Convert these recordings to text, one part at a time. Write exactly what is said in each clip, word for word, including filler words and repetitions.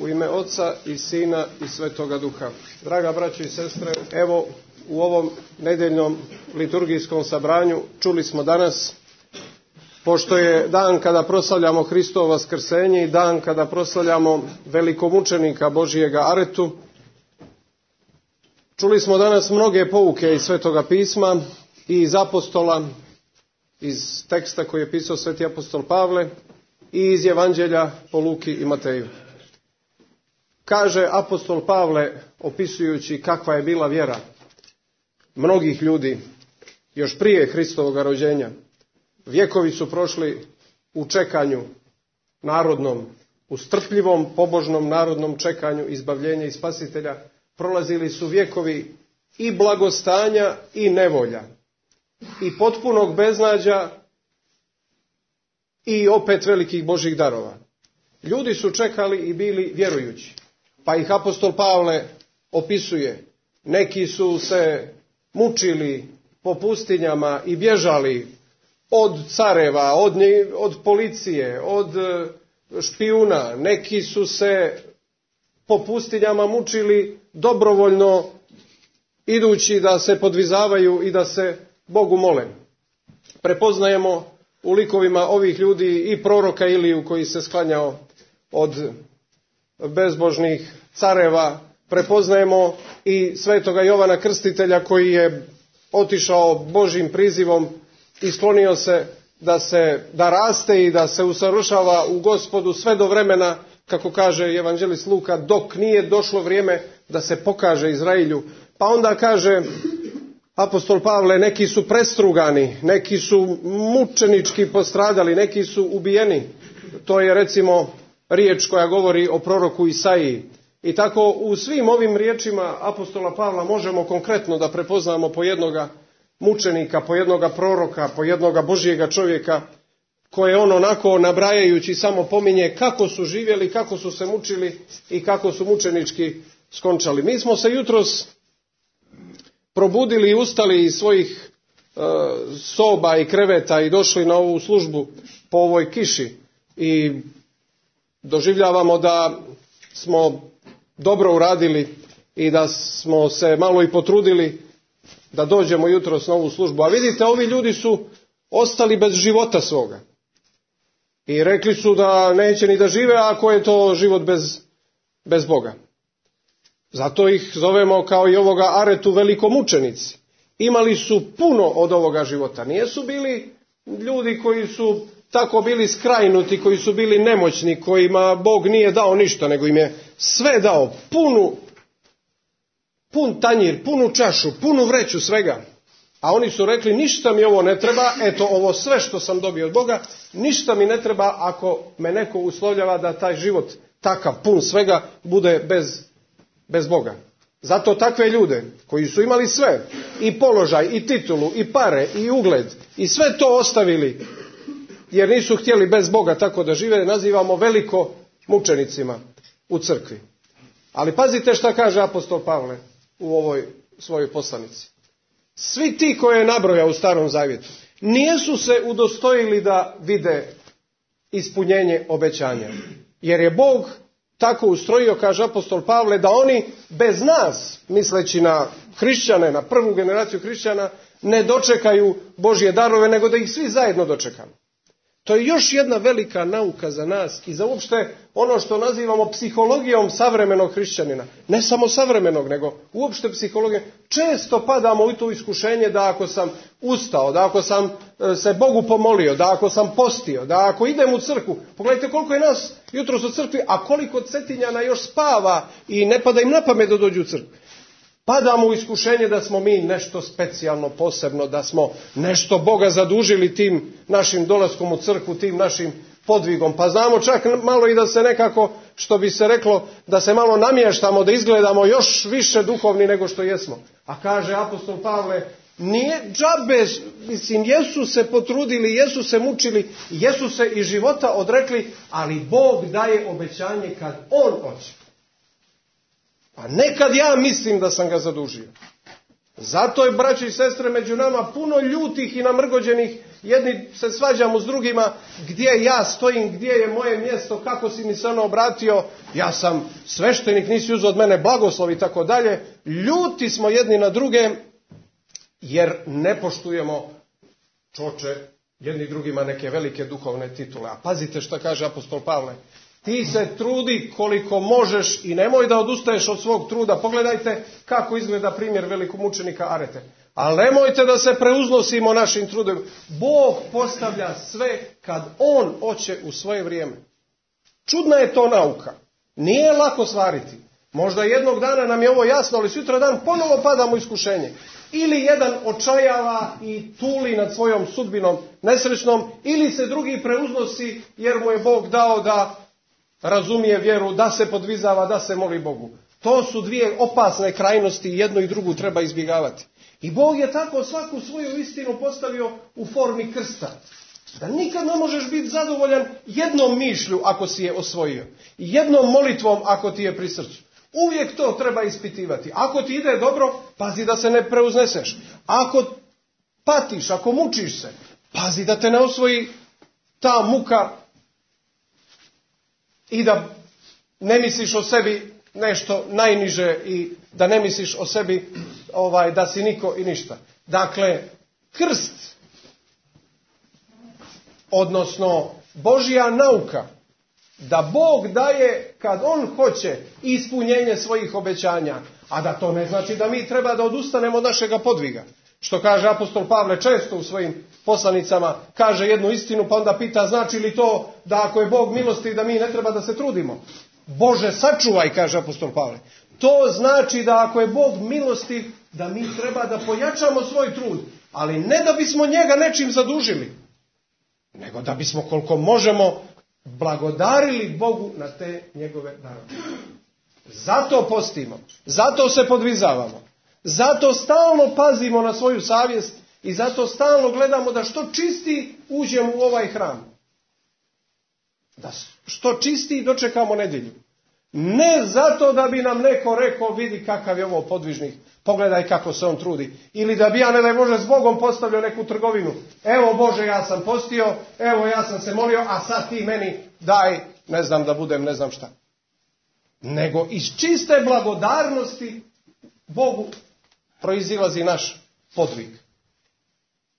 U ime Oca i Sina i Svetoga Duha. Draga braćo i sestre, evo u ovom nedeljnom liturgijskom sabranju čuli smo danas, pošto je dan kada proslavljamo Hristovo vaskrsenje i dan kada proslavljamo velikomučenika Božijega Aretu, čuli smo danas mnoge pouke iz Svetoga pisma i iz apostola, iz teksta koji je pisao sveti apostol Pavle i iz Evanđelja po Luki i Mateju. Kaže apostol Pavle, opisujući kakva je bila vjera mnogih ljudi još prije Hristovoga rođenja. Vjekovi su prošli u čekanju narodnom, u strpljivom, pobožnom narodnom čekanju izbavljenja i spasitelja. Prolazili su vjekovi i blagostanja i nevolja, i potpunog beznađa i opet velikih Božjih darova. Ljudi su čekali i bili vjerujući. Pa ih apostol Pavle opisuje. Neki su se mučili po pustinjama i bježali od careva, od, od policije, od špijuna. Neki su se po pustinjama mučili dobrovoljno, idući da se podvizavaju i da se Bogu mole. Prepoznajemo u likovima ovih ljudi i proroka Iliju koji se sklanjao od bezbožnih careva. Prepoznajemo i svetoga Jovana Krstitelja koji je otišao Božjim prizivom i sklonio se da se da raste i da se usavršava u Gospodu sve do vremena, kako kaže evanđelist Luka, dok nije došlo vrijeme da se pokaže Izraelju. Pa onda kaže apostol Pavle, neki su prestrugani, neki su mučenički postradali, neki su ubijeni. To je recimo riječ koja govori o proroku Isaiji. I tako u svim ovim riječima apostola Pavla možemo konkretno da prepoznamo po jednoga mučenika, po jednoga proroka, po jednoga Božjega čovjeka, koje on onako nabrajajući samo pominje kako su živjeli, kako su se mučili i kako su mučenički skončali. Mi smo se jutros probudili i ustali iz svojih e, soba i kreveta i došli na ovu službu po ovoj kiši i doživljavamo da smo dobro uradili i da smo se malo i potrudili da dođemo jutros na ovu službu. A vidite, ovi ljudi su ostali bez života svoga. I rekli su da neće ni da žive ako je to život bez, bez Boga. Zato ih zovemo kao i ovoga Aretu velikomučenici. Imali su puno od ovoga života. Nijesu bili ljudi koji su tako bili skrajnuti, koji su bili nemoćni, kojima Bog nije dao ništa, nego im je sve dao, punu, pun tanjir, punu čašu, punu vreću svega. A oni su rekli, ništa mi ovo ne treba, eto ovo sve što sam dobio od Boga, ništa mi ne treba ako me neko uslovljava da taj život takav, pun svega, bude bez, bez Boga. Zato takve ljude koji su imali sve, i položaj, i titulu, i pare, i ugled, i sve to ostavili, jer nisu htjeli bez Boga tako da žive, nazivamo veliko mučenicima u crkvi. Ali pazite šta kaže apostol Pavle u ovoj svojoj poslanici. Svi ti koje je nabrojao u Starom Zavjetu nijesu se udostojili da vide ispunjenje obećanja. Jer je Bog tako ustrojio, kaže apostol Pavle, da oni bez nas, misleći na hrišćane, na prvu generaciju hrišćana, ne dočekaju Božje darove, nego da ih svi zajedno dočekamo. To je još jedna velika nauka za nas i za uopšte ono što nazivamo psihologijom savremenog hrišćanina. Ne samo savremenog, nego uopšte psihologijom. Često padamo u to iskušenje da ako sam ustao, da ako sam se Bogu pomolio, da ako sam postio, da ako idem u crkvu. Pogledajte koliko je nas jutros u crkvi, a koliko Cetinjana još spava i ne pada im na pamet da dođu u crkvu. Padamo u iskušenje da smo mi nešto specijalno, posebno, da smo nešto Boga zadužili tim našim dolaskom u crkvu, tim našim podvigom. Pa znamo čak malo i da se nekako, što bi se reklo, da se malo namještamo, da izgledamo još više duhovni nego što jesmo. A kaže apostol Pavle, nije džabe, mislim, jesu se potrudili, jesu se mučili, jesu se i života odrekli, ali Bog daje obećanje kad On hoće. A nekad ja mislim da sam ga zadužio. Zato je, braći i sestre, među nama puno ljutih i namrgođenih. Jedni se svađamo s drugima, gdje ja stojim, gdje je moje mjesto, kako si mi se ono obratio, ja sam sveštenik, nisi uzeo od mene blagoslov i tako dalje. Ljuti smo jedni na druge, jer ne poštujemo, čoče, jedni drugima neke velike duhovne titule. A pazite šta kaže apostol Pavle. Ti se trudi koliko možeš i nemoj da odustaješ od svog truda. Pogledajte kako izgleda primjer velikog mučenika Arete. Ali nemojte da se preuznosimo našim trudom. Bog postavlja sve kad On hoće u svoje vrijeme. Čudna je to nauka. Nije lako stvariti. Možda jednog dana nam je ovo jasno, ali sutra dan ponovo padamo u iskušenje. Ili jedan očajava i tuli nad svojom sudbinom nesrećnom, ili se drugi preuznosi jer mu je Bog dao da razumije vjeru, da se podvizava, da se moli Bogu. To su dvije opasne krajnosti i jednu i drugu treba izbjegavati. I Bog je tako svaku svoju istinu postavio u formi krsta. Da nikad ne možeš biti zadovoljan jednom mišlju ako si je osvojio. Jednom molitvom ako ti je pri srcu. Uvijek to treba ispitivati. Ako ti ide dobro, pazi da se ne preuzneseš. Ako patiš, ako mučiš se, pazi da te ne osvoji ta muka i da ne misliš o sebi nešto najniže i da ne misliš o sebi ovaj, da si niko i ništa. Dakle, krst, odnosno Božja nauka, da Bog daje kad On hoće ispunjenje svojih obećanja, a da to ne znači da mi treba da odustanemo od našega podviga. Što kaže apostol Pavle često u svojim poslanicama, kaže jednu istinu pa onda pita znači li to da ako je Bog milostiv da mi ne treba da se trudimo. Bože sačuvaj, kaže apostol Pavle. To znači da ako je Bog milostiv da mi treba da pojačamo svoj trud, ali ne da bismo njega nečim zadužili, nego da bismo koliko možemo blagodarili Bogu na te njegove darove. Zato postimo, zato se podvizavamo, zato stalno pazimo na svoju savjest i zato stalno gledamo da što čisti uđemo u ovaj hram. Da što čisti dočekamo nedjelju. Ne zato da bi nam neko rekao vidi kakav je ovo podvižnik, pogledaj kako se on trudi. Ili da bi ja ne daj Bože s Bogom postavljao neku trgovinu. Evo Bože ja sam postio, evo ja sam se molio, a sad ti meni daj, ne znam da budem ne znam šta. Nego iz čiste blagodarnosti Bogu proizilazi naš podvig.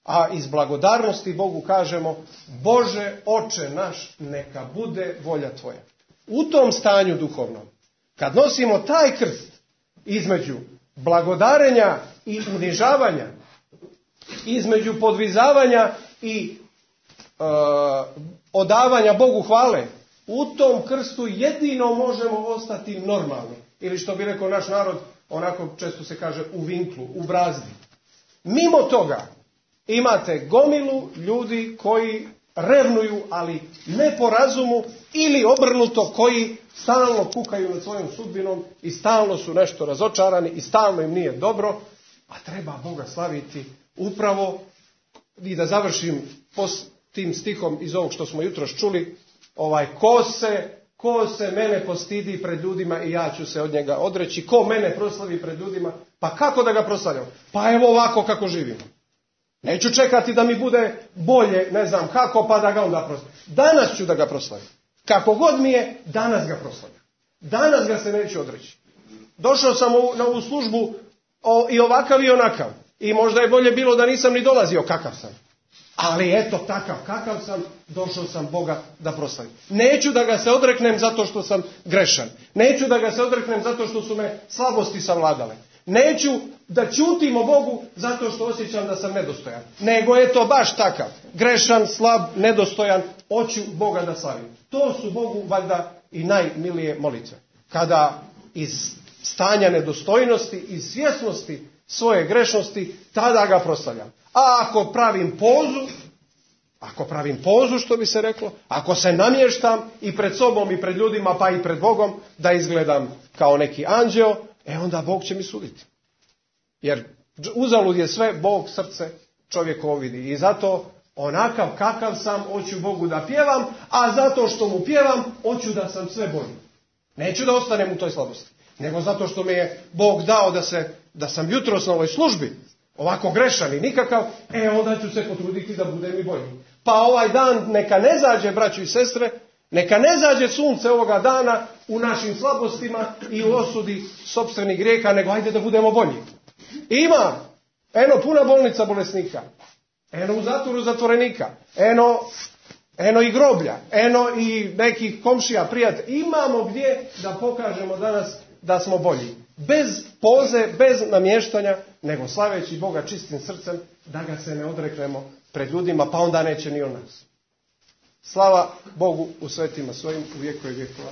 A iz blagodarnosti Bogu kažemo Bože oče naš neka bude volja tvoja. U tom stanju duhovnom, kad nosimo taj krst između blagodarenja i unižavanja, između podvizavanja i e, odavanja Bogu hvale, u tom krstu jedino možemo ostati normalni. Ili što bi rekao naš narod, onako često se kaže u vinklu, u brazdi. Mimo toga imate gomilu ljudi koji revnuju, ali ne po razumu, ili obrnuto koji stalno kukaju nad svojom sudbinom i stalno su nešto razočarani i stalno im nije dobro, a treba Boga slaviti upravo. I da završim pos tim stihom iz ovog što smo jutros čuli, ovaj, ko se, ko se mene postidi pred ljudima i ja ću se od njega odreći, ko mene proslavi pred ljudima, pa kako da ga proslavljam? Pa evo ovako kako živimo. Neću čekati da mi bude bolje, ne znam kako, pa da ga onda proslavim. Danas ću da ga proslavim. Kako god mi je, danas ga proslavim. Danas ga se neću odreći. Došao sam u, na ovu službu o, i ovakav i onakav. I možda je bolje bilo da nisam ni dolazio kakav sam. Ali eto takav kakav sam, došao sam Boga da proslavim. Neću da ga se odreknem zato što sam grešan. Neću da ga se odreknem zato što su me slabosti savladale. Neću da ćutim o Bogu zato što osjećam da sam nedostojan. Nego je to baš takav. Grešan, slab, nedostojan. Hoću Boga da slavim. To su Bogu valjda i najmilije molitve. Kada iz stanja nedostojnosti i svjesnosti svoje grešnosti, tada ga proslavljam. A ako pravim pozu, ako pravim pozu što bi se reklo, ako se namještam i pred sobom i pred ljudima pa i pred Bogom da izgledam kao neki anđeo, e onda Bog će mi suditi. Jer uzalud je sve, Bog srce čovjekovo vidi. I zato onakav kakav sam, hoću Bogu da pjevam, a zato što mu pjevam, hoću da sam sve bolji. Neću da ostanem u toj slabosti. nego zato što mi je Bog dao da, se, da sam jutros na ovoj službi, ovako grešan i nikakav, e onda ću se potruditi da budem i bolji. Pa ovaj dan neka ne zađe, braćo i sestre, neka ne zađe sunce ovoga dana u našim slabostima i u osudi sopstvenih grijeha, nego ajde da budemo bolji. Ima, eno puna bolnica bolesnika, eno u zatvoru zatvorenika, eno, eno i groblja, eno i nekih komšija, prijatelja. Imamo gdje da pokažemo danas da smo bolji. Bez poze, bez namještanja, nego slaveći Boga čistim srcem, da ga se ne odreknemo pred ljudima, pa onda neće ni on nas. Slava Bogu u svetima svojim u vjekove vjekova.